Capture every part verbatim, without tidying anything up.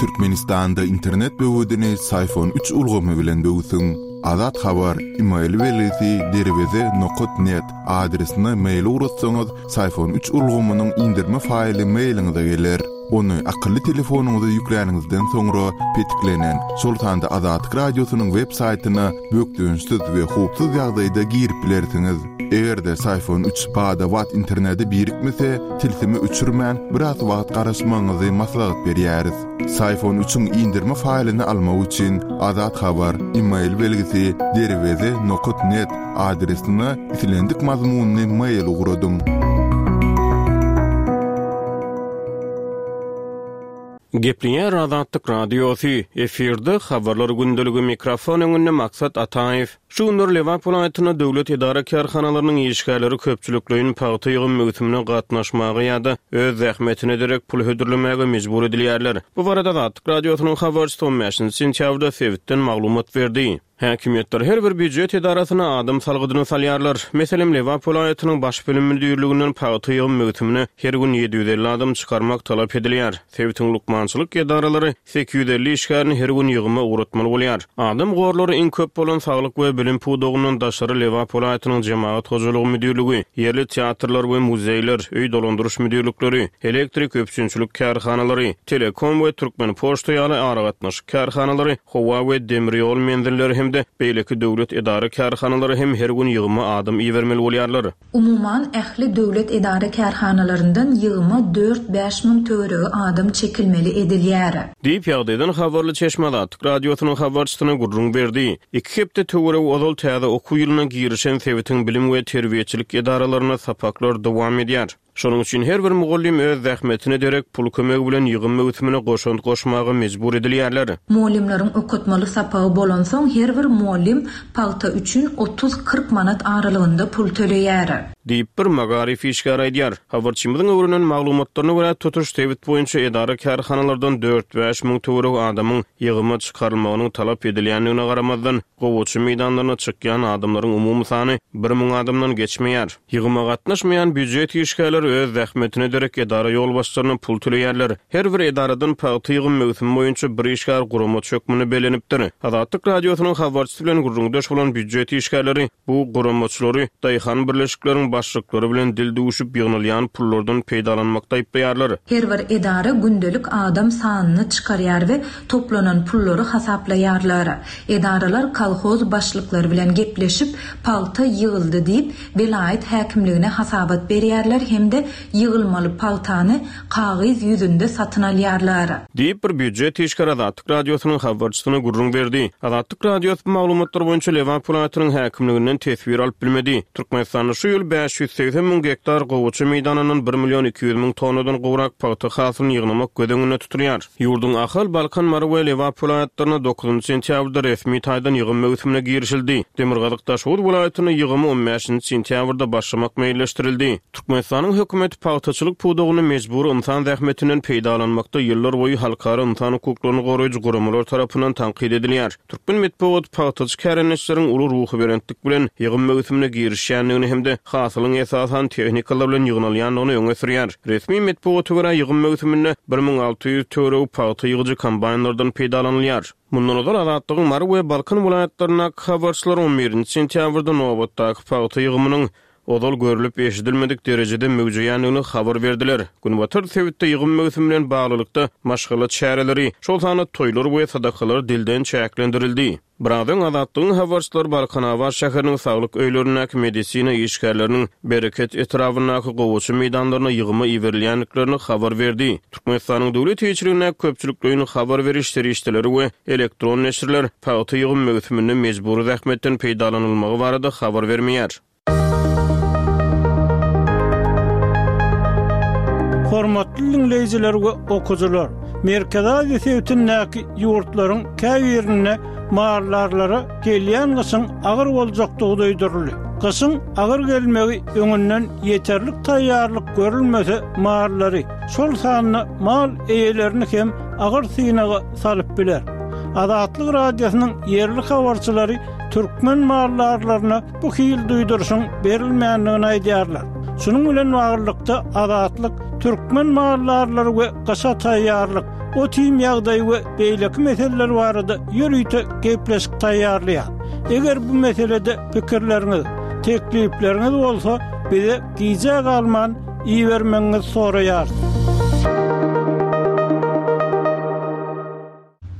Türkmenistanda internet böwedini Syfon üç ulgamy bilen böwsüň. Azat Habar, e-mail belgisi derweze nokat net adresine mail ugratsaňyz, Syfon üç ulgamynyň indirme faýly mailiňize geler. Ony akylly telefonyňyza ýükläniňizden soňra petiklenen, şol sanda Azatlyk Radiosynyň web saýtyna bökdençsiz we howpsuz ýagdaýda girip bilersiňiz. Eger-de Syfon üç bada-bat internete birikmese, tilsimi öçürmän biraz wagt garaşmagyňyzy maslahat berýäris. Syfon üçiň indirme faýlyny almak üçin Azat Habar, e-mail belgisi derweze nokat net adresine islendik mazmunyny mail ugradyň. Gepleýär Azatlyk Radiosy, efirde habarlar gündeligi, mikrofon öňünde Maksat Ataýew. Şu günler Lebap welaýatynda döwlet edara kärhanalarynyň işgärleri köpçülikleýin pagta ýygym möwsümine gatnaşmaga ýa-da öz zähmetine derek pul hödürlemäge mejbur edilýärler. Bu barada Azatlyk Radiosynyň habarçysy on bäşinji sentýabrda sebitden maglumat berdi. Häkimiýetler her bir býujet edarasyna adam salgydyny salýarlar. Meselem, Lebap welaýatynyň baş bilim müdirliginden pagta ýygym möwsümine her gün ýedi ýüz elli adam çykarmak talap edilýär. Sebitiň lukmançylyk edaralary sekiz ýüz elli işgärini her gün ýygyma ugratmaly bolýar. Adam gorlary iň köp bolan saglyk we bilim pudagyndan daşary Lebap welaýatynyň jemagat hojalygy müdirligi, ýerli teatrlar we muzeýler, öý dolandyryş müdirlikleri, elektrik üpjünçilik kärhanalary, Telekom we Türkmen poçta ýaly aragatnaşyk kärhanalary, howa we demir ýol menzilleri hem-de beýleki döwlet edara kärhanalary hem her gün ýygyma adam ibermeli bolýarlar. Umuman ähli döwlet edara kärhanalaryndan ýygyma dört bäş müň töweregi adam çekilmeli edilýär. Diýip ýagdaýdan habarly çeşme Azatlyk Radiosynyň habarçysyna gürrüň berdi. Iki hepde töweregi ozal täze okuw ýylyna girişen sebitiň bilim we terbiýeçilik edaralarynda sapaklar dowam edýär. Şonuň üçin her bir mugallym öz zähmetine derek pul kömegi bilen ýygym möwsümine goşant goşmaga mejbur edilýärler. Mugallymlaryň okatmaly sapagy bolansoň her bir mugallym pagta üçin otuz kyrk manat aralygynda pul töleýär. Diýip bir magaryf işgäri aýdýar. Habarçymyzyň öwrenen maglumatlaryna görä tutuş sebit boýunça edara kärhanalardan dört bäş müň töweregi adamyň ýygyma çykarylmagynyň talap edilýändigine garamazdan, gowaça meýdanlaryna çykýan adamlaryň umumy sany bir müň adamdan geçmeýär. Ýygyma gatnaşmaýan býujet işgärleri öz zähmetine derek edara ýolbaşçylaryna pul töleýärler. Her bir edaradan pagta ýygym möwsümi boýunça bir işgär guramaçy hökmünde bellenipdir. Azatlyk Radiosynyň habarçysy bilen gürrüňdeş bolan býujet işgärleri bu guramaçylary daýhan birleşikleriň başlyklary bilen dil duşup ýygnalýan pullardan peýdalanmakda aýyplaýarlar. Her bir edara gündelik adam sanyny çykarýar we toplanan pullary hasaplaýarlar. Edaralar kolhoz başlyklary bilen gepleşip pagta ýygyldy diýip welaýat häkimligine hasabat berýärler hem-de ýygylmaly pagtany kagyz ýüzünde satyn alýarlar. Diýip bir býujet işgäri Azatlyk Radiosynyň habarçysyna gürrüň berdi. Azatlyk Radiosy bu maglumatlar boýunça Lebap welaýatynyň häkimliginden teswir alyp bilmedi. Türkmenistanda şu ýyl bäş ýüz segsen müň gektar gowaça meýdanyndan bir million iki ýüz müň tonnadan gowrak pagta hasylyny ýygnamak göz öňünde tutulýar. Ýurduň Ahal, Balkan, Mary we Lebap welaýatlarynda dokuzynjy sentýabrda resmi taýdan ýygym möwsümine girişildi. Demirgazyk Daşoguz welaýatynda ýygymy on bäşinji sentýabrda başlamak meýilleşdirildi. Türkmenistanyň hökümeti pagtaçylyk pudagyny mejbur insan zähmetinden peýdalanmakda ýyllar boýy halkara insan hukuklaryny goraýjy guramalar tarapyndan tankyt edilýär. Türkmen metbugat pagtaçy kärendeçileriň uly ruhubelentlik bilen ýygym möwsümine girişýändigini hem-de hasylyň esasan tehnikalar bilen ýygnalýandygyny öňe sürýär. Resmi metbugata görä ýygym möwsüminde bir müň alty ýüz töweregi pagta ýygyjy kombaýnlardan peýdalanylýar. Mundan ozal Azatlygyň Mary we Balkan welaýatlaryndaky habarçylar on birinji sentýabrda nobatdaky pagta ýygymynyň ozal görülip eşidilmedik derejede möwjeýändigini habar berdiler. Günbatar sebitde ýygym möwsümi bilen baglylykda maşgala çäreleri, şol sanda toýlar we sadakalar dilden çäklendirildi. Biraz öň Azatlygyň habarçylary Balkanabat şäheriniň saglyk öýlerindäki medisina işgärleriniň Bereket etrabyndaky gowaça meýdanlaryna ýygyma iberilýändiklerini habar berdi. Türkmenistanyň döwlet eýeçiligindäki köpçülikleýin habar beriş serişdeleri we elektron neşirler pagta ýygym möwsüminde mejbury zähmetden peýdalanylmagy barada habar bermeýär. Hormatly dinleýjiler we okuwçylar, Merkezi Aziýa sebitindäki ýurtlaryň käbirinde maldarlara gelýän gyşyň agyr boljakdygy duýduryldy. Gyşyň agyr gelmegi öňünden ýeterlik taýýarlyk görülmese mallary, şol sanda mal eýelerini hem agyr synaga salyp biler. Azatlyk Radiosynyň ýerli habarçylary türkmen maldarlaryna bu hil duýduryşyň berilmändigini aýdýarlar. Şunuň bilen baglylykda Azatlyk Türkmen maldarlary we gyşa taýýarlyk, ot-iým ýagdaýy we beýleki meseleler barada ýörite gepleşik taýýarlaýar. Eger bu meselede pikirleriňiz, teklipleriňiz bolsa, bize gijä galman ibermegiňizi soraýarys.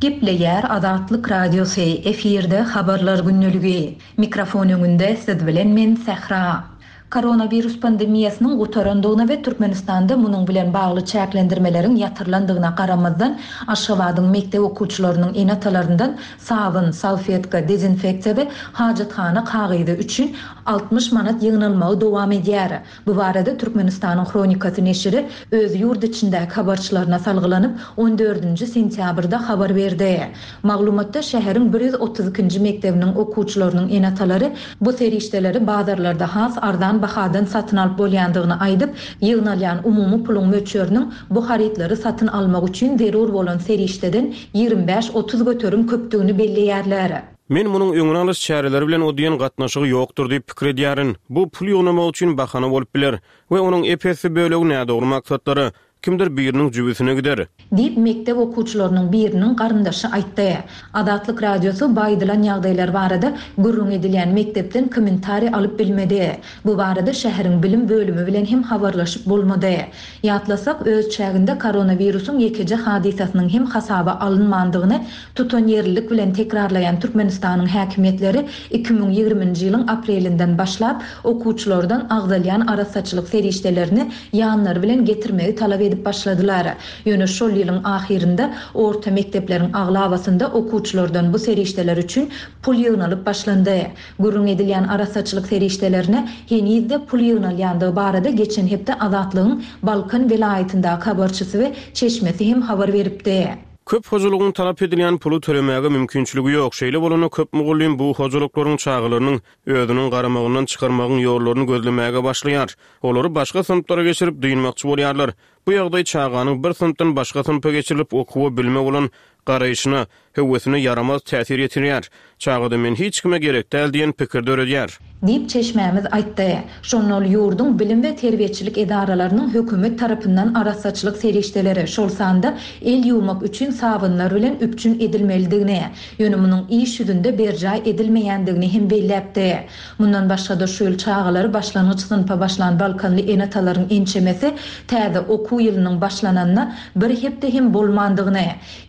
Gepleýär Azatlyk Radiosy, efirde Habarlar gündeligi. Mikrofon öňünde siz bilen men Sähra. Koronawirus pandemiýasynyň gutarandygyna we Türkmenistanda munuň bilen bagly çäklendirmeleriň ýatyrylandygyna garamazdan, Aşgabadyň mekdep okuwçylarynyň ene-atalaryndan sabyn, salfetka, dezinfeksiýa we hajathana kagyzy üçin altmyş manat ýygnalmagy dowam edýär. Bu barada Türkmenistanyň Hronikasy neşiri öz ýurt içindäki habarçylaryna salgylanyp, on dördünji sentýabrda habar berdi. Maglumatda şäheriň bir ýüz otuz ikinji mekdebiniň okuwçylarynyň ene-atalary bu serişdeleri bazarlarda has arzan bahadan satyn alyp bolýandygyny aýdyp, ýygnalýan umumy puluň möçberiniň bu harytlary satyn almak üçin zerur bolan serişdeden ýigrimi bäş otuz göterim köpdügini belleýärler. Men munuň öňüni alyş çäreleri bilen o diýen gatnaşygy ýokdur diýip pikir edýärin. Bu pul ýygnamak üçin bahana bolup biler we onuň ep-esli bölegi nädogry maksatlara, kimdir biriniň jübüsine gider. Diýip, mekdep okuwçylarynyň biriniň garyndaşy aýtdy. Azatlyk Radiosy bu aýdylan ýagdaýlar barada gürrüň edilýän mekdepden kommentariý alyp bilmedi. Bu barada şäheriň bilim bölümi bilen hem habarlaşyp bolmady. Ýatlasak, öz çäginde koronawirusyň ýekeje hadysasynyň hem hasaba alynmandygyny tutanýerlilik bilen tekrarlaýan Türkmenistanyň häkimiýetleri iki müň ýigriminji ýylyň aprelinden başlap okuwçylardan agzalýan arassaçylyk serişdelerini ýanlary bilen getirmegi talap edip başladylar. Ýöne şol ýylyň ahyrynda orta mekdepleriň aglabasynda okuwçylardan bu serişdeler üçin pul ýygnalyp başlandy. Gürrüň edilýän arassaçylyk serişdelerine henizde pul ýygnalýandygy barada geçen hepde Azatlygyň Balkan welaýatyndaky habarçysy we çeşmesi hem habar beripdi. Köp hojalygyň talap edilýän puly tölemäge mümkinçiligi ýok. Şeýle bolanda köp mugallym bu hojalyklaryň çagalarynyň özüniň garamagyndan çykarmagyň ýollaryny gözlemäge başlaýar. Olary başga synplara geçirip dynmakçy bolýarlar. Bu ýagdaý çaganyň bir synpdan başga synpa geçirilip okuwa bilme bolan garaýşyna, höwesine ýaramaz täsir ýetirýär. Çagada men hiç kime gerek däl diýen pikir döredýär. Diýip çeşmämiz aýtdy. Şonda ol ýurduň bilim we terbiýeçilik edaralarynyň hökümet tarapyndan arassaçylyk serişdeleri, şol sanda el ýuwmak üçin sabynlar bilen üpjün edilmelidigini, ýöne munuň iş ýüzünde berjaý edilmeýändigini hem belläpdi. Mundan başga-da şu ýyl çagalary başlangyç synpa başlan Balkanly ene-atalaryň ençemesi täze okuw ýylynyň başlananyna bir hepde hem bolmandygyny,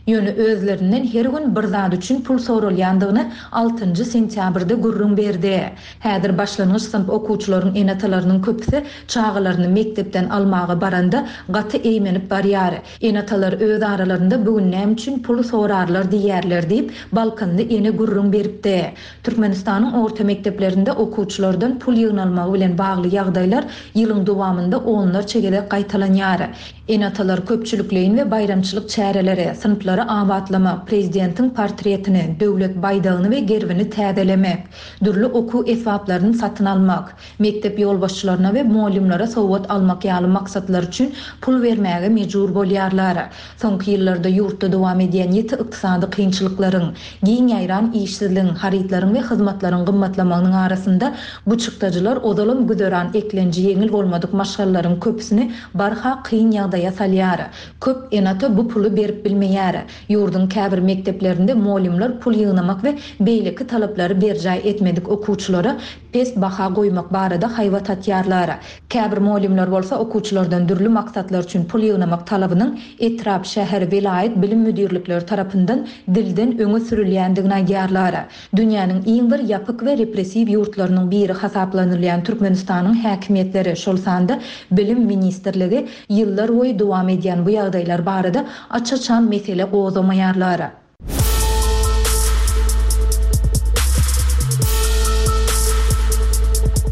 ýöne özlerinden her gün bir zat üçin pul soralýandygyny altynjy sentýabrda gürrüň berdi. Häzir başlangyç synp okuwçylaryň ene-atalarynyň köpüsi çagalaryny mekdepden almaga baranda gaty eýmenip barýar. Ene-atalar öz aralarynda bugün näme üçin pul sorarlar diýerler diýip Balkanly ene gürrüň beripdi. Türkmenistanyň orta mekdeplerinde okuwçylardan pul ýygnalmagy bilen bagly ýagdaýlar ýylyň dowamynda onlarça gezek gaýtalanýar. Ene-atalar köpçülikleýin we baýramçylyk çäreleri, synplary abatlamak, prezidentiň portretini, döwlet baýdagyny we gerbini täzelemek, dürli okuw esbaplaryny satyn almak, mekdep ýolbaşçylaryna we mugallymlara sowgat almak ýaly maksatlar üçin pul bermäge mejbur bolýarlar. Soňky ýyllarda ýurtda dowam edýän ýiti ykdysady kynçylyklaryň, giň ýaýran işsizligiň, harytlaryň we hyzmatlaryň gymmatlamagynyň arasynda bu çykdajylar ozalam güzeran eklenji ýeňil bolmadyk maşgalalaryň köpüsini barha kyn ýagdaýa salýar. Köp ene-ata bu puly berip bilmeýär. Ýurduň käbir mekdeplerinde mugallymlar pul ýygnamak we beýleki talaplary berjaý etmedik okuwçylara pes baha goýmak barada haýbat atýarlar. Käbir mugallymlar bolsa okuwçylardan dürli maksatlar üçin pul ýygnamak talabynyň etrap, şäher, welaýat bilim müdirlikleri tarapyndan dilden öňe sürülýändigini aýdýarlar. Dünýäniň iň bir ýapyk we repressiw ýurtlarynyň biri hasaplanylýan Türkmenistanyň häkimiýetleri, şol sanda Bilim ministrligi ýyllar boýy dowam edýän bu ýagdaýlar barada aç-açan mesele gozgamaýarlar.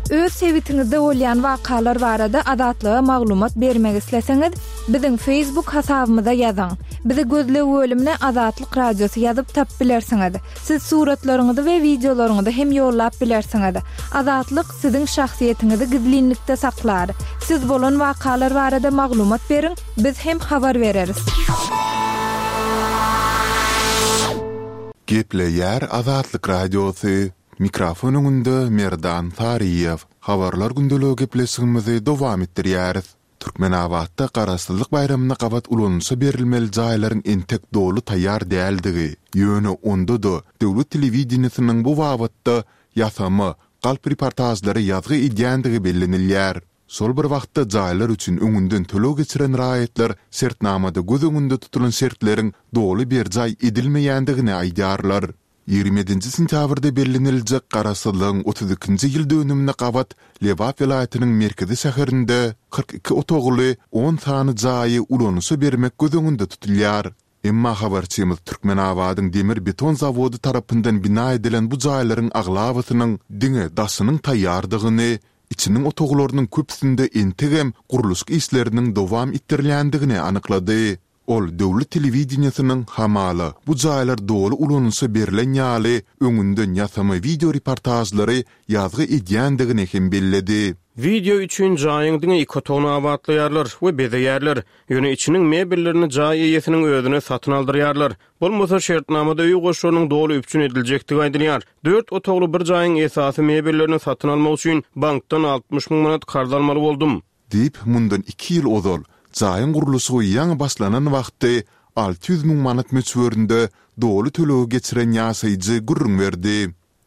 Öz sebitiňizde bolýan wakalar barada Azatlyga maglumat bermek isleseňiz, biziň Facebook hasabymyza ýazyň. Bizi gözleg bölümine Azatlyk Radiosy ýazyp tap bilersiňiz. Siz suratlaryňyzy we wideolaryňyzy hem ýollap bilersiňiz. Azatlyk siziň şahsyýetiňizi gizlinlikde saklar. Siz bolan wakalar barada maglumat beriň, biz hem habar bereris. Gepleýär Azatlyk Radiosy. Mikrofon öňünde Merdan Saryýew. Habarlar gündeligi gepleşigimizi dowam etdirýäris. Türkmenabatda Garaşsyzlyk baýramyna gabat ulanylyşa berilmeli jaýlaryň entek doly taýýar däldigi, ýöne onda-da döwlet telewideniýesiniň bu babatda ýasama, galp reportažlary ýazgy edýändigi bellenilýär. Şol bir wagtda jaýlar üçin öňünden töleg geçiren raýatlar şertnamada göz öňünde tutulan şertleriň doly berjaý edilmeýändigini aýdýarlar. Ýigrimi ýedinji sentýabrda belleniljek Garaşsyzlygyň otuz ikinji ýyl dönümine gabat Lebap welaýatynyň merkezi şäherinde kyrk iki otagly on sany jaýy ulanyşa bermek göz öňünde tutulýar. Emma habarçymyz Türkmenabadyň demir-beton zawody tarapyndan bina edilen bu jaýlaryň aglabasynyň diňe daşynyň taýýardygyny, içiniň otaglarynyň köpüsinde entegem gurluşyk işleriniň dowam etdirilýändigini anyklady. Ol döwlet telewideniýesiniň hamala bu jaýlar doly ulanyşa berlen ýaly öňünden ýasama wideo reportažlary ýazgy edýändigini hem belledi. Wideo üçin jaýyň diňe iki otagyny abatlaýarlar we bezeýärler. Ýöne içiniň mebellerini jaý eýesiniň özüne satyn aldyrýarlar. Bolmasa şertnamada öý goşlarynyň doly üpjün ediljekdigi aýdylýar. Dört otagly bir jaýyň esasy mebellerini satyn almak üçin bankdan altmyş müň manat karz almaly boldum. Diýip, mundan iki ýyl ozal, jaýyň gurluşygy ýaňy başlanan wagty alty ýüz müň manat möçberinde doly tölegi geçiren ýaşaýjy gürrüň berdi.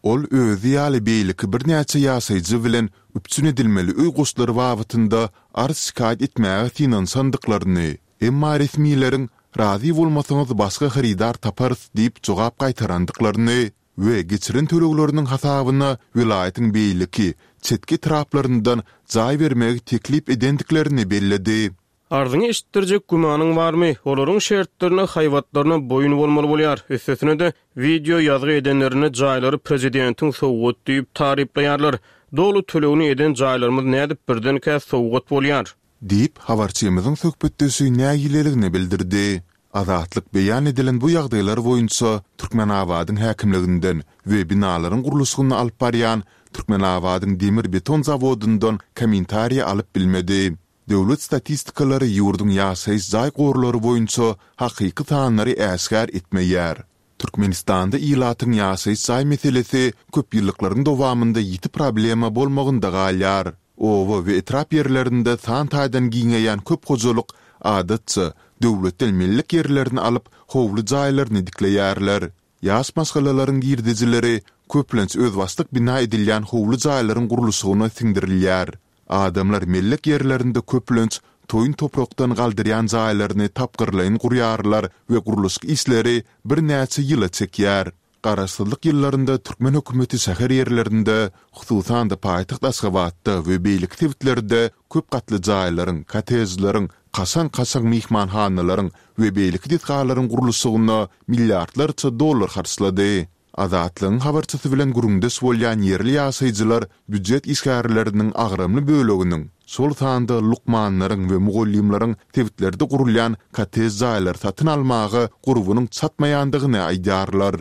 Ol özi ýaly beýleki birnäçe ýaşaýjy bilen üpjün edilmeli öý goşlary babatynda arz-şikaýat etmäge synanyşandyklaryny, emma resmileriň Razy bolmasaňyz başga hyrydar taparys diýip jogap gaýtarandyklaryny we geçiren tölegleriniň hasabyna welaýatyň beýleki, çetki etraplaryndan jaý bermegi teklip edendiklerini belledi. Arzyňy eşitdirjek gümanyň barmy? Olaryň şertlerine, haýbatlaryna boýun bolmaly bolýar. Üstesine-de, wideo ýazgy edenlerinde jaýlary prezidentiň sowgat diýip taryplaýarlar. Doly tölegini eden jaýlarymyz nädip birdenkä sowgat bolýar? Diýip, habarçymyzyň söhbetdeşi nägileligini bildirdi. Azatlyk beýan edilen bu ýagdaýlar boýunça Türkmenabadyň häkimliginden we binalaryň gurluşygyny alyp barýan Türkmenabadyň demir-beton zawodyndan kommentariý alyp bilmedi. Döwlet statistikalary ýurduň ýaşaýyş jaý gorlary boýunça hakyky sanlary äşgär etmeýär. Türkmenistanda ilatyň ýaşaýyş jaý meselesi köp ýyllyklaryň dowamynda ýiti problema bolmagynda galýar. Oba we etrap ýerlerinde san taýdan giňeýän köp hojalyk, adatça, döwletden mellek ýerlerini alyp, howly jaýlaryny dikleýärler. Ýaş maşgalalaryň girdejileri köplenç özbaşdak bina edilýän howly jaýlaryň gurluşygyna siňdirilýär. Adamlar mellek ýerlerinde köplenç toýun toprakdan galdyrýan jaýlaryny tapgyrlaýyn gurýarlar we gurluşyk işleri birnäçe ýyla çekýär. Garaşsyzlyk ýyllarynda türkmen hökümeti şäher ýerlerinde, hususan-da paýtagt Aşgabatda we beýleki sebitlerde köp gatly jaýlaryň, kottejleriň, kaşaň-kaşaň myhmanhanalaryň we beýleki desgalaryň gurluşygyna milliardlarça dollar harçlady. Azatlygyň habarçysy bilen gürrüňdeş bolýan ýerli ýaşaýjylar býujet işgärleriniň agramly böleginiň, şol sanda lukmanlaryň we mugallymlaryň sebitlerde gurulýan kottej jaýlary satyn almaga gurbunyň çatmaýandygyny aýdýarlar.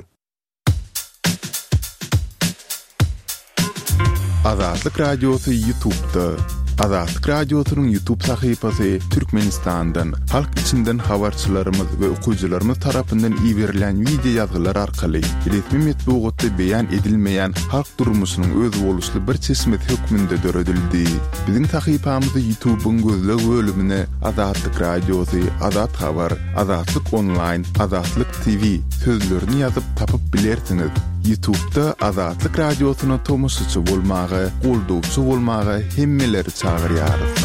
Azatlyk Radiosy Ýutubda. Azatlyk Radiosynyň Ýutub sahypasy Türkmenistandan, halk içinden habarçylarymyz we okyjylarymyz tarapyndan iberilýän wideo ýazgylar arkaly resmi metbugatda beýan edilmeýän halk durmuşynyň özboluşly bir çeşmesi hökmünde döredildi. Biziň sahypamyzy Ýutubyň gözleg bölümine Azatlyk Radiosy, Azat Habar, Azatlyk Onlaýn, Azatlyk TV sözlerini ýazyp tapyp bilersiňiz. Ýutubda Azatlyk Radiosyna tomaşaçy bolmaga, goldawçy bolmaga hemmeleri çagyrýarys.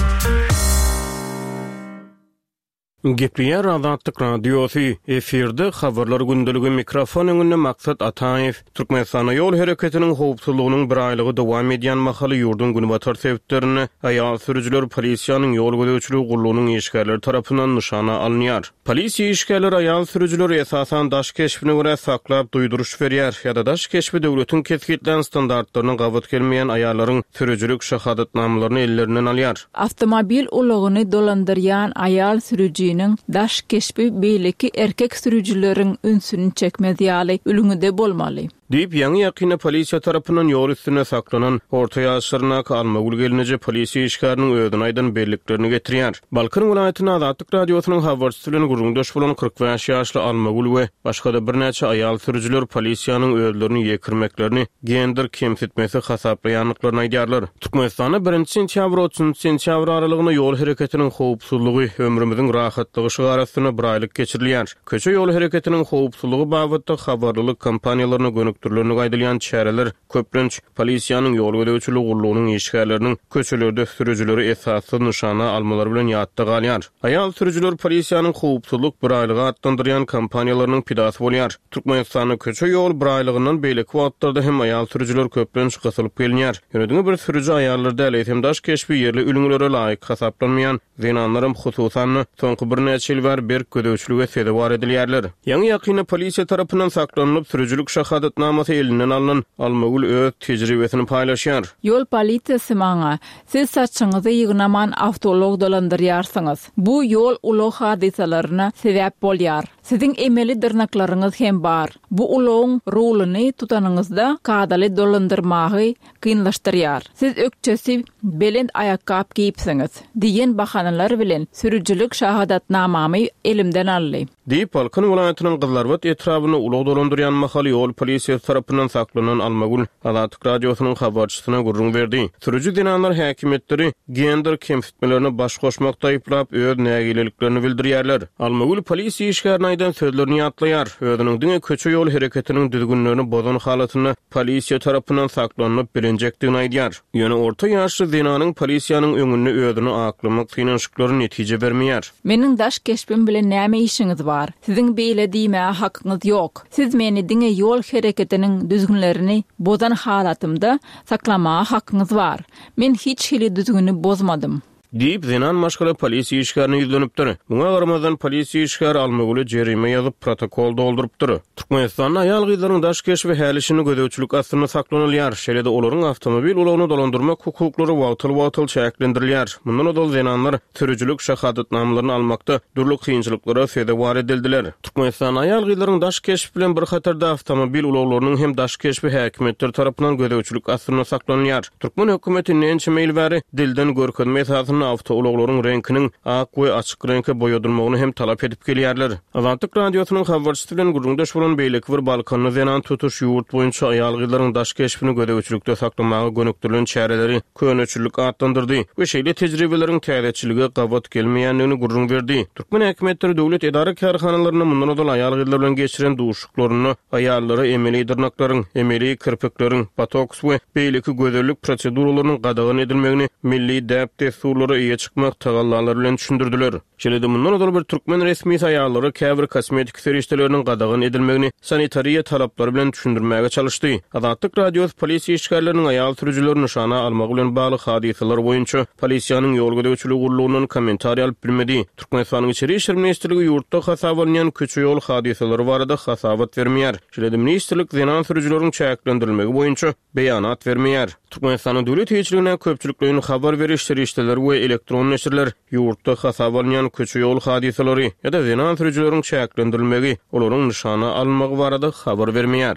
Gepleýär Azatlyk Radiosy, efirde Habarlar gündeligi, mikrofon öňünde Maksat Ataýew. Türkmenistanda ýol hereketiniň howpsuzlygynyň bir aýlygy dowam edýän mahaly ýurduň günbatar sebitlerinde aýal sürüjiler polisiýanyň ýol gözegçiligi gullugynyň işgärleri tarapyndan nyşana alynýar. Polisiýa işgärleri aýal sürüjileri esasan daş keşbine görä saklap duýduryş berýär ýa-da daş keşbi döwletiň kesgitlän standartlaryna gabat gelmeýän aýallaryň sürüjilik şahadatnamalaryny ellerinden alýar. Awtomobil ulagyny dolandyrýan aýal sürüjiniň daş keşbi beýleki erkek sürüjileriň ünsüni çekmez ýaly ülňüde bolmaly. Diýip, ýaňy-ýakynda polisiýa tarapyndan ýol üstünde saklanan orta ýaşlaryndaky Almagül gelneje polisiýa işgäriniň özüne aýdan belliklerini getirýär. Balkan welaýatynda Azatlyk Radiosynyň habarçysy bilen gürrüňdeş bolan kyrk bäş ýaşly Almagül we başga-da birnäçe aýal sürüjiler polisiýanyň özlerini ýekirmeklerini gender kemsitmesi hasaplaýandyklaryny aýdýarlar. Türkmenistanda birinji sentýabr-otuzynjy sentýabr aralygynda ýol hereketiniň howpsuzlygy, ömrümiziň rahatlygy şygary astynda biraýlyk geçirilýär. Köçe ýol hereketiniň howpsuzlygy babatda habarlylyk kampaniýalaryna gönükdirilendigi aýdylýan çäreler köplenç polisiýanyň ýol gözegçiligi gullugynyň işgärleriniň köçelerde sürüjileri esassyz nyşana almalary bilen ýatda galýar. Aýal sürüjiler polisiýanyň howpsuzlyk biraýlygy atlandyrýan kampaniýalarynyň pidasy bolýar. Türkmenistanda köçe ýol biraýlygyndan beýleki wagtlarda hem aýal sürüjiler köplenç gysylyp gelinýär. Ýöne diňe bir sürüji aýallar däl, eýsem daş keşbi ýerli ülňülere laýyk hasaplanmaýan zenanlaram hususan-da soňky birnäçe ýyl bäri berk gözegçilige sezewar edilýärler. Ýaňy-ýakynda polisiýa tarapyndan saklanylyp, sürüjilik şahadatnamasy elinden alnan Almagül öz tejribesini paýlaşýar. Ýol polisiýasy maňa, Siz saçyňyzy ýygnaman awtoulag dolandyrýarsyňyz. Bu ýol ulag hadysalaryna sebäp bolýar. Siziň emeli dyrnaklaryňyz hem bar. Bu ulagyň ruluny tutanyňyzda kadaly dolandyrmagy kynlaşdyrýar. Siz ökjesi belent aýakgap geýipsiňiz diýen bahanalar bilen sürüjilik şahadatnamamy elimden aldy. Diýip, Balkan welaýatynyň Gyzlarbat etrabynda ulag dolandyrýan mahaly ýol polisiýasy tarapyndan saklanan Almagül Azatlyk Radiosynyň habarçysyna gürrüň berdi. Sürüji zenanlar häkimiýetleri gender kemsitmelerine baş goşmakda aýyplap, öz nägileliklerini bildirýärler. Almagül polisiýa işgärine aýdan sözlerini ýatlaýar, özüniň diňe köçe-ýol hereketiniň düzgünlerini bozan halatynda polisiýa tarapyndan saklanylyp bilinjekdigini aýdýar. Ýöne orta ýaşly zenanyň polisiýanyň öňünde özüni aklamak synanyşyklary netije bermeýär. Meniň daş keşbim bilen näme işiňiz bar? Siziň beýle diýmäge hakyňyz ýok. Siz meni diňe ýol hereketiniň düzgünlerini bozan halatymda saklamaga hakyňyz bar. Men hiç hili düzgüni bozmadym. Diýip, zenan maşgala polisiýa işgärine ýüzlenipdir. Muňa garamazdan, polisiýa işgäri Almagüle jerime ýazyp, protokol doldurypdyr. Türkmenistanda aýal-gyzlaryň daş keşbi häli-şindi gözegçilik astynda saklanylýar. Şeýle-de olaryň awtomobil ulagyny dolandyrmak hukuklary wagtal-wagtal çäklendirilýär. Mundan ozal zenanlar sürüjilik şahadatnamalaryny almakda dürli kynçylyklara sezewar edildiler. Türkmenistanda aýal-gyzlaryň daş keşbi bilen bir hatarda awtomobil ulaglarynyň hem daş keşbi häkimiýetler tarapyndan gözegçilik astynda saklanylýar. Türkmen hökümeti indi ençeme ýyl bäri dilden görkezme esasynda awtoulaglaryň reňkiniň ak we açyk reňke boýadylmagyny hem talap edip gelýärler. Azatlyk Radiosynyň habarçysy bilen gürrüňdeş bolan beýleki bir balkanly zenan tutuş ýurt boýunça aýal-gyzlaryň daş keşbini gözegçilikde saklamaga gönükdirilen çäreleri köneçillik atlandyrdy we şeýle tejribeleriň täzeçillige gabat gelmeýändigini gürrüň berdi. Türkmen häkimiýetleri döwlet edara-kärhanalarynda mundan ozal aýal-gyzlar bilen geçiren duşuşyklarynda aýallara emeli dyrnaklaryň, emeli kirpikleriň, botoks we beýleki gözellik proseduralarynyň gadagan edilmegini milli däp-dessurlara eýe çykmak tagallalary bilen düşündirdiler. Şeýle-de mundan ozal bir türkmen resmisi aýallara käbir kosmetiki serişdeleriniň gadagan edilmegini sanitariýa talaplary bilen düşündirmäge çalyşdy. Azatlyk Radiosy polisiýa işgärleriniň aýal sürüjileri nyşana almagy bilen bagly hadysalar boýunça polisiýanyň ýol gözegçiligi gullugyndan kommentariý alyp bilmedi. Türkmenistanyň Içeri işler ministrligi ýurtda hasaba alynýan köçe-ýol hadysalary barada hasabat bermeýär. Şeýle-de ministrlik zenan sürüjileriň çäklendirilmegi boýunça beýanat bermeýär. Türkmenistanyň döwlet eýeçiligindäki köpçülikleýin habar beriş serişdeleri we elektron neşirler ýurtda hasaba alynýan köçe-ýol hadysalary ýa-da zenan sürüjileriň çäklendirilmegi, olaryň nyşana alynmagy barada habar bermeýär.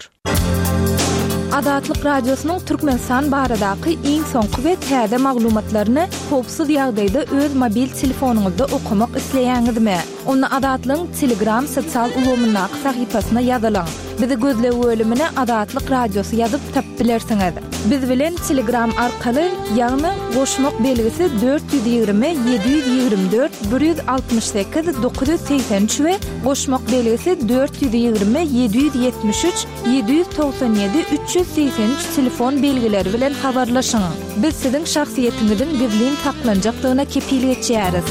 Azatlyk Radiosynyň Türkmenistan baradaky iň soňky we täze maglumatlaryny howpsuz ýagdaýda öz mobil telefonyňyzda okamak isleýäňizmi? Onda Azatlygyň Telegram sosial ulgamyndaky sahypasyna ýazylyň. Bizi gözleg bölümine Azatlyk Radiosy ýazyp tapyp bilersiňiz. Biz bilen Telegram arkaly, ýagny goşmak belgisi dört ýüz ýigrimi ýedi ýüz ýigrimi dört bir ýüz altmyş sekiz dokuz ýüz segsen üç we goşmak belgisi dört ýüz ýigrimi ýedi ýüz ýetmiş üç ýedi ýüz togsan ýedi üç ýüz segsen üç telefon belgileri bilen habarlaşyň. Biz siziň şahsyýetiňiziň gizlin saklanjakdygyna kepil geçýäris.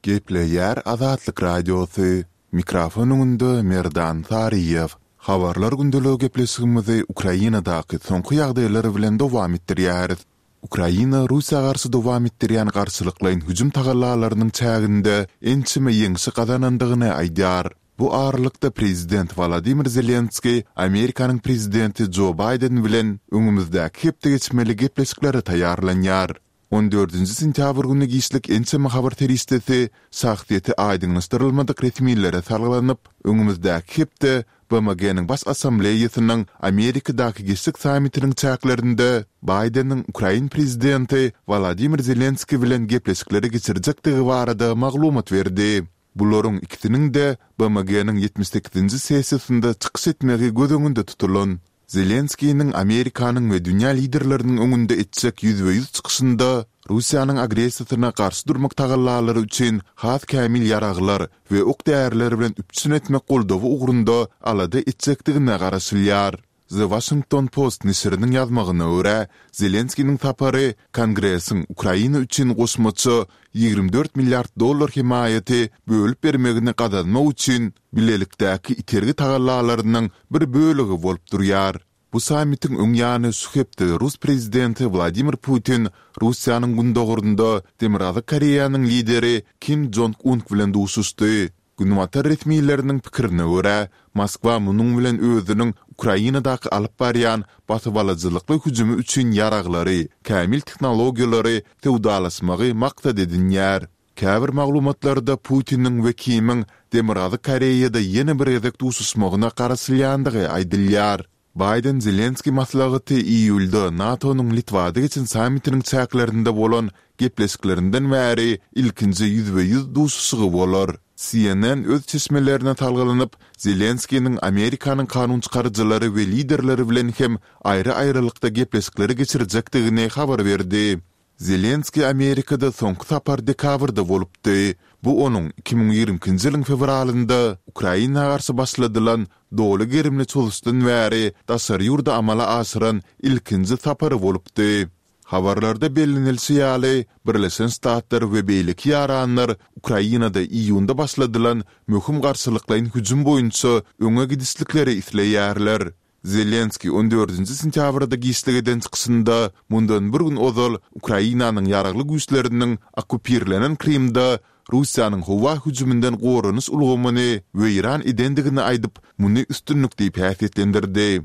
Gepleýär Azatlyk Radiosy. Mikrofon öňünde Merdan Saryýew. Habarlar gündeligi gepleşigimizi Ukrainadaky soňky ýagdaýlar bilen dowam etdirýäris. Ukraina Russiýa garşy dowam etdirýän garşylyklaýyn hüjüm tagallalarynyň çäginde ençeme ýeňşi gazanandygyny aýdýar. Bu aralykda prezident Wolodymyr Zelenskiý Amerikanyň prezidenti Jo Baýden bilen öňümizdäki hepde geçmeli gepleşiklere taýýarlanýar. On dördünji sentýabr güni giçlik ençeme habar serişdesi şahsyýeti aýdyňlaşdyrylmadyk resmilere salgylanyp, öňümizdäki hepde B M G-niň Baş Assambleýasynyň Amerikadaky geçjek sammitiniň çäklerinde Baýdeniň ukrain prezidenti Wolodymyr Zelenskiý bilen gepleşikleri geçirjekdigi barada maglumat berdi. Bularyň ikisiniň-de B M G-niň ýetmiş sekizinji sessiýasynda çykyş etmegi göz öňünde tutulan. Zelenskiniň Amerikanyň we dünýä liderleriniň öňünde etjek ýüzbe-ýüz çykyşynda Russiýanyň agressiýasyna garşy durmak tagallalary üçin has kämil ýaraglar we ok-däriler bilen üpjün etmek goldawy ugrunda alada etjekdigine garaşylýar. The Washington Post neşiriniň ýazmagyna görä, Zelenskiniň sapary Kongresiň Ukraina üçin goşmaça ýigrimi dört milliard dollar hemaýaty bölüp bermegini gazanmak üçin bilelikdäki itergi tagallalarynyň bir bölegi bolup durýar. Bu sammitiň öň ýany şu hepde rus prezidenti Wladimir Putin Russiýanyň gündogarynda Demirgazyk Koreýanyň lideri Kim Jong Un bilen duşuşdy. Günbatar resmileriniň pikirine görä, Moskwa munuň bilen özüniň Ukrainadaky alyp barýan basybalyjylykly hüjümi üçin ýaraglary, kämil tehnologiýalary söwdalaşmagy maksat edinýär. Käbir maglumatlarda Putiniň we Kimiň Demirgazyk Koreýada ýene bir gezek duşuşmagyna garaşylýandygy aýdylýar. Baýden-Zelenskiý maslahaty iýulda NATO-nyň Litwada geçen sammitiniň çäklerinde bolan gepleşiklerinden bäri ilkinji ýüzbe-ýüz duşuşygy bolar. C N N öz çeşmelerine salgylanyp, Zelenskiniň Amerikanyň kanunçykaryjylary we liderleri bilen hem aýry-aýrylykda gepleşikleri geçirjekdigini habar berdi. Zelenskiý Amerikada soňky sapar dekabrda bolupdy. Bu onuň iki müň ýigrimi ikinji ýylyň fewralynda Ukraina garşy başladylan doly gerimli çozuşdan bäri daşary ýurda amala aşyran ilkinji sapary bolupdy. Habarlarda bellenilişi ýaly, Birleşen Ştatlar we beýleki ýaranlar Ukrainada iýunda başladylan möhüm garşylyklaýyn hüjüm boýunça öňe gidişlikleri isleýärler. Zelenskiý on dördünji sentýabrda giçlik eden çykyşynda mundan bir gün ozal Ukrainanyň ýaragly güýçleriniň okkupirlenen Krymda Russiýanyň howa hüjüminden goranyş ulgamyny weýran edendigini aýdyp, muny üstünlik diýip häsiýetlendirdi.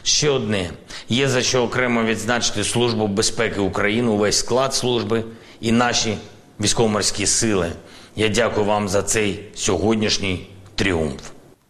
Ще одне. Є за що окремо відзначити Службу безпеки України, увесь склад служби і наші військово-морські сили. Я дякую вам за цей сьогоднішній тріумф.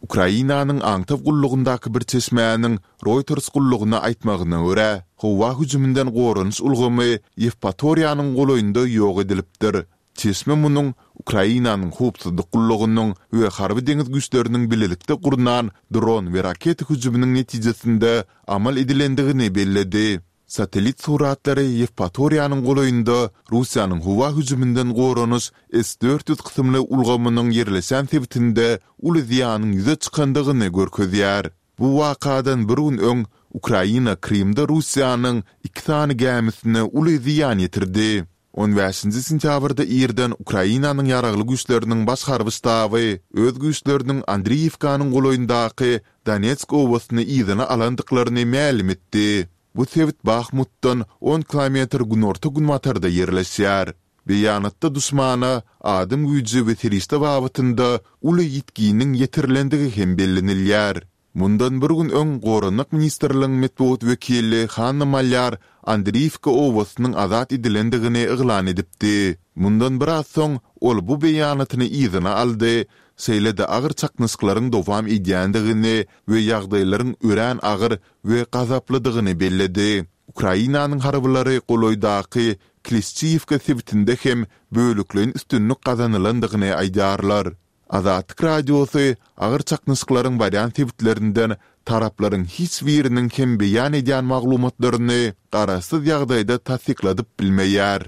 Ukrainanyň aňtaw gullugyndaky bir çeşmäniň Reuters gullugyna aýtmagyna görä, howa hüjüminden goranyş ulgamy Ýewpatoriýanyň golaýynda ýok edilipdir. Çeşme munuň Ukrainanyň howpsuzlyk gullugynyň we harby deňiz güýçleriniň bilelikde gurnan dron we raketa hüjüminiň netijesinde amal edilendigini belledi. Satellit suratlary Ýewpatoriýanyň golaýynda Russiýanyň howa hüjüminden goranyş S dört ýüz kysymly ulgamynyň ýerleşen sebitinde uly zyýanyň ýüze çykandygyny görkezýär. Bu wakadan bir gün öň Ukraina Krymda Russiýanyň iki sany gämisine uly zyýan ýetirdi. On bäşinji sentýabrda irden Ukrainanyň ýaragly güýçleriniň baş harby ştaby öz güýçleriniň Andriýewkanyň golaýyndaky Donetsk obasyny yzyna alandyklaryny mälim etdi. Bu sebit Bahmutdan on kilometr günorta-günbatarda ýerleşýär. Beýanatda duşmana adam güýji we serişde babatynda uly ýitginiň ýetirilendigi hem bellenilýär. Mundan bir gün öň Goranmak ministrliginiň metbugat wekili Hanna Malýar Andriýewka obasynyň azat edilendigini yglan edipdi. Mundan biraz soň ol bu beýanatyny yzyna aldy, şeýle-de agyr çaknyşyklaryň dowam edýändigini we ýagdaýlaryň örän agyr we gazaplydygyny belledi. Ukrainanyň harbylary golaýdaky Klişçiýewka sebitinde hem bölekleýin üstünlik gazanylandygyny aýdýarlar. Azatlyk Radiosy agyr çaknyşyklaryň barýan sebitlerinden taraplaryň hiç biriniň hem beýan edýän maglumatlaryny garaşsyz ýagdaýda tassykladyp bilmeýär.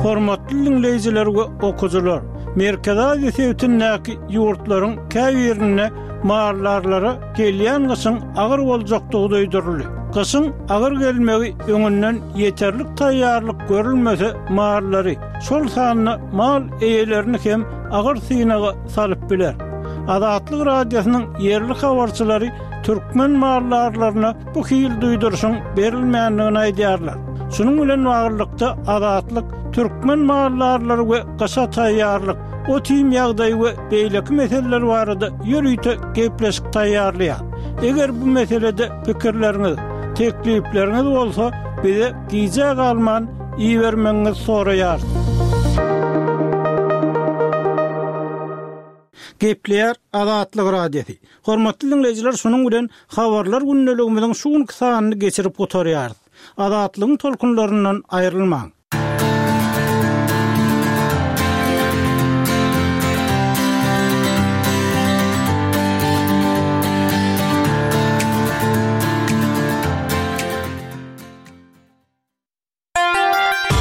Hormatly diňleýjiler we okyjylar, Merkezi Aziýa sebitindäki ýurtlaryň käbirinde maldarlara gelýän gyşyň agyr boljakdygy duýduryldy. Gyşyň agyr gelmegi öňünden ýeterlik taýýarlyk görülmese mallary, şol sanda mal eýelerini hem agyr synaga salyp biler. Azatlyk Radiosynyň ýerli habarçylary türkmen maldarlaryna bu hil duýduryşyň berilmändigini aýdýarlar. Şunuň bilen baglylykda Azatlyk türkmen maldarlary we gyşa taýýarlyk, ot-iým ýagdaýy we beýleki meseleler barada ýörite gepleşik taýýarlaýar. Eger bu meselede pikirleriňiz, teklipleriňiz bolsa, bize gijä galman ibermegiňizi soraýarys. Gepleýär Azatlyk Radiosy. Hormatly diňleýjiler, şunuň bilen habarlar gündeligimiziň şu günki sanyny geçirip gutarýarys. Azatlygyň tolkunlaryndan aýrylmaň.